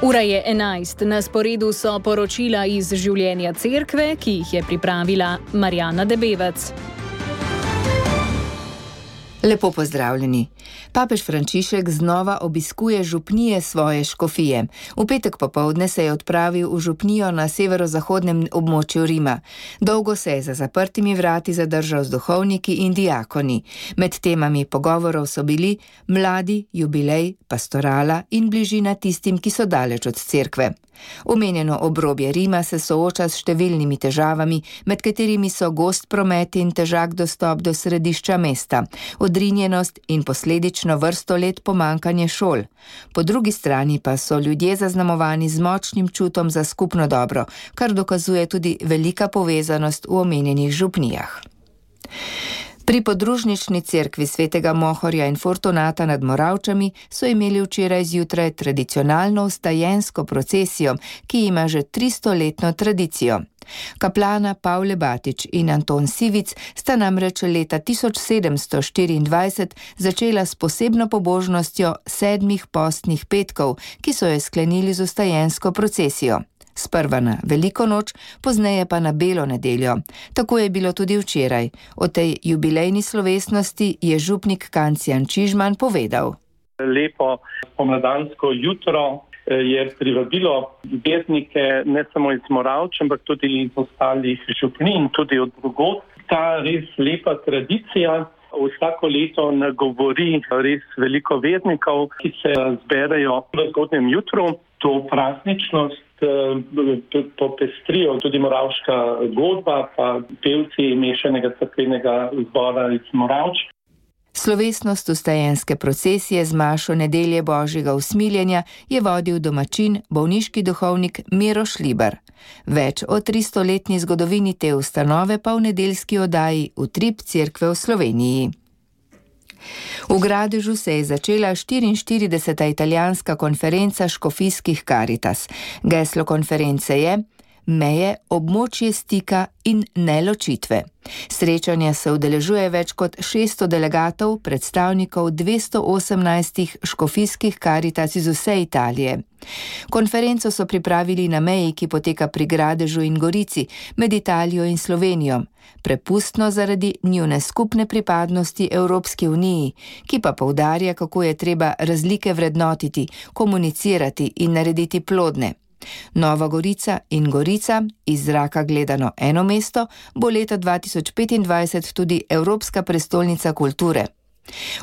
Ura je 11, na sporedu so poročila iz življenja cerkve, ki jih je pripravila Marjana Debevec. Lepo pozdravljeni. Papež Frančišek znova obiskuje župnije svoje škofije. V petek popoldne se je odpravil v župnijo na severozahodnem območju Rima. Dolgo se je za zaprtimi vrati zadržal z duhovniki in diakoni. Med temami pogovorov so bili mladi, jubilej, pastorala in bližina tistim, ki so daleč od cerkve. Omenjeno obrobje Rima se sooča s številnimi težavami, med katerimi so gost promet in težak dostop do središča mesta, odrinjenost in posledično vrsto let pomanjkanje šol. Po drugi strani pa so ljudje zaznamovani z močnim čutom za skupno dobro, kar dokazuje tudi velika povezanost v omenjenih župnijah. Pri podružnični cerkvi svetega Mohorja in Fortunata nad Moravčami so imeli včeraj zjutraj tradicionalno vstajensko procesijo, ki ima že 300-letno tradicijo. Kaplana Pavle Batič in Anton Sivic sta namreč leta 1724 začela s posebno pobožnostjo 7 postnih petkov, ki so jo sklenili z vstajensko procesijo. Sprva na Veliko noč, pozneje pa na Belo nedeljo. Tako je bilo tudi včeraj. O tej jubilejni slovesnosti je župnik Kancijan Čižman povedal. Lepo pomladansko jutro je privabilo vernike ne samo iz Moravč, ampak tudi iz ostalih župnij in tudi od drugod. Ta res lepa tradicija vsako leto nagovori res veliko vernikov, ki se zberejo v zgodnjem jutru. To prazničnost popestrijo tudi moravška godba, pa pevci mešanega cerkvenega zbora iz Moravč. Slovesnost vstajenske procesije z mašo nedelje Božjega usmiljenja je vodil domačin, bolniški duhovnik Miro Šlibar. Več o 300-letni zgodovini te ustanove pa v nedeljski oddaji Utrip cerkve v Sloveniji. V Gradežu se je začela 44. italijanska konferenca škofijskih Karitas. Geslo konference je Meje, območje stika in neločitve. Srečanja se udeležuje več kot 600 delegatov, predstavnikov 218 škofijskih Karitas iz vse Italije. Konferenco so pripravili na meji, ki poteka pri Gradežu in Gorici, med Italijo in Slovenijo. Prepustno zaradi njune skupne pripadnosti Evropski uniji, ki pa poudarja, kako je treba razlike vrednotiti, komunicirati in narediti plodne. Nova Gorica in Gorica, iz zraka gledano eno mesto, bo leta 2025 tudi Evropska prestolnica kulture.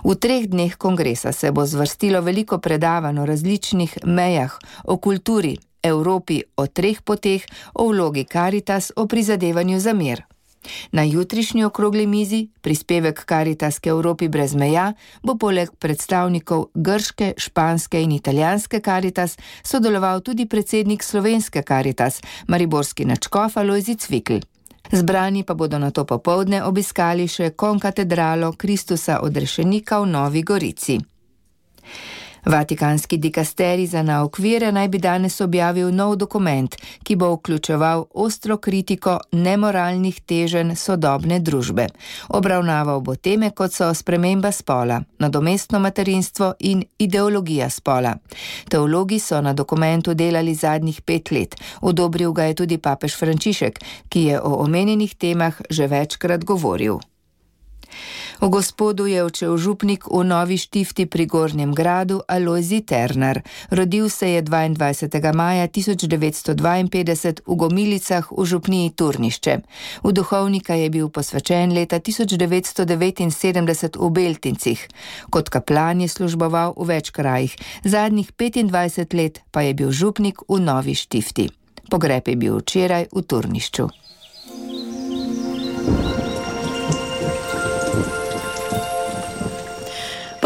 V 3 dneh kongresa se bo zvrstilo veliko predavanj o različnih mejah, o kulturi, Evropi, o 3 poteh, o vlogi Karitas, o prizadevanju za mir. Na jutrišnji okrogli mizi, prispevek Karitas k Evropi brez meja, bo poleg predstavnikov grške, španske in italijanske Karitas sodeloval tudi predsednik slovenske Karitas, mariborski nadškof Alojzij Cvikl. Zbrani pa bodo nato popoldne obiskali še konkatedralo Kristusa odrešenika v Novi Gorici. Vatikanski dikasterij za nauk vere naj bi danes objavil nov dokument, ki bo vključeval ostro kritiko nemoralnih teženj sodobne družbe. Obravnaval bo teme, kot so sprememba spola, nadomestno materinstvo in ideologija spola. Teologi so na dokumentu delali zadnjih 5 let. Odobril ga je tudi papež Frančišek, ki je o omenjenih temah že večkrat govoril. V Gospodu je odšel župnik v Novi Štifti pri Gornjem Gradu Alojzij Ternar. Rodil se je 22. maja 1952 v Gomilicah v župniji Turnišče. V duhovnika je bil posvečen leta 1979 v Beltincih. Kot kaplan je služboval v več krajih, zadnjih 25 let pa je bil župnik v Novi Štifti. Pogreb je bil včeraj v Turnišču.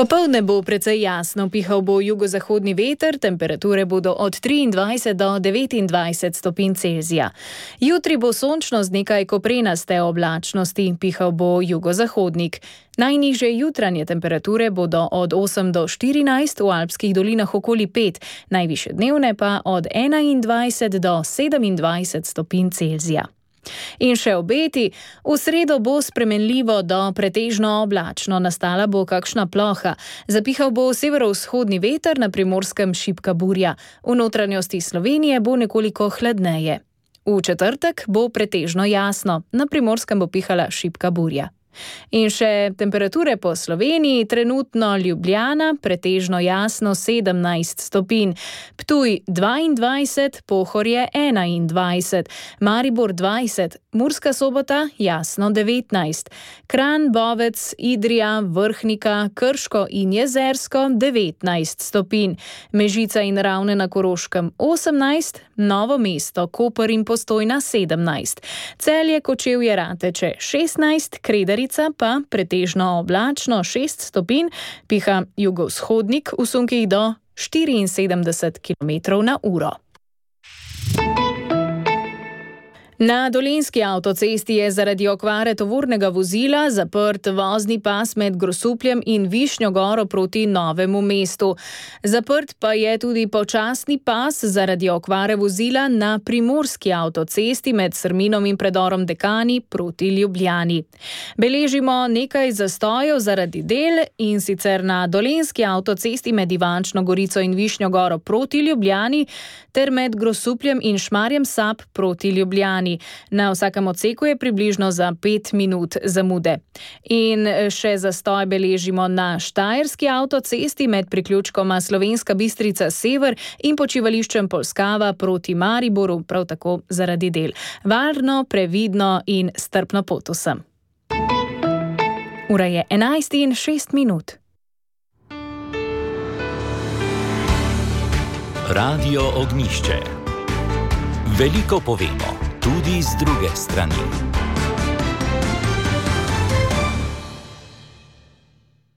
Popoldne bo precej jasno, pihal bo jugozahodni veter, temperature bodo od 23 do 29 stopinj Celzija. Jutri bo sončno z nekaj koprenaste oblačnosti, pihal bo jugozahodnik. Najnižje jutranje temperature bodo od 8 do 14, v alpskih dolinah okoli 5, najvišje dnevne pa od 21 do 27 stopinj Celzija. In še obeti, v sredo bo spremenljivo do pretežno oblačno, nastala bo kakšna ploha. Zapihal bo severovzhodni veter, na Primorskem šibka burja. V notranjosti Slovenije bo nekoliko hladneje. V četrtek bo pretežno jasno, na Primorskem bo pihala šibka burja. In še temperature po Sloveniji, trenutno Ljubljana, pretežno jasno 17 stopinj, Ptuj 22, Pohorje 21, Maribor 20, Murska Sobota jasno 19, Kranj, Bovec, Idrija, Vrhnika, Krško in Jezersko 19 stopinj, Mežica in Ravne na Koroškem 18, Novo mesto, Koper in Postojna 17, Celje, Kočevje, Rateče 16, Kredarica pa pretežno oblačno 6 stopinj, piha jugovzhodnik v sunkih do 74 km/h. Na Dolenjski avtocesti je zaradi okvare tovornega vozila zaprt vozni pas med Grosupljem in Višnjo Goro proti Novemu mestu. Zaprt pa je tudi počasni pas zaradi okvare vozila na Primorski avtocesti med Srminom in predorom Dekani proti Ljubljani. Beležimo nekaj zastojev zaradi del, in sicer na Dolenjski avtocesti med Ivančno Gorico in Višnjo Goro proti Ljubljani ter med Grosupljem in Šmarjem Sap proti Ljubljani. Na vsakem odseku je približno za 5 minut zamude. In še zastoj beležimo na Štajerski avtocesti med priključkoma Slovenska Bistrica Sever in počivališčem Polskava proti Mariboru, prav tako zaradi del. Varno, previdno in strpno pot vsem. Ura je 11:06. Radio Ognjišče. Veliko povemo, tudi z druge strani.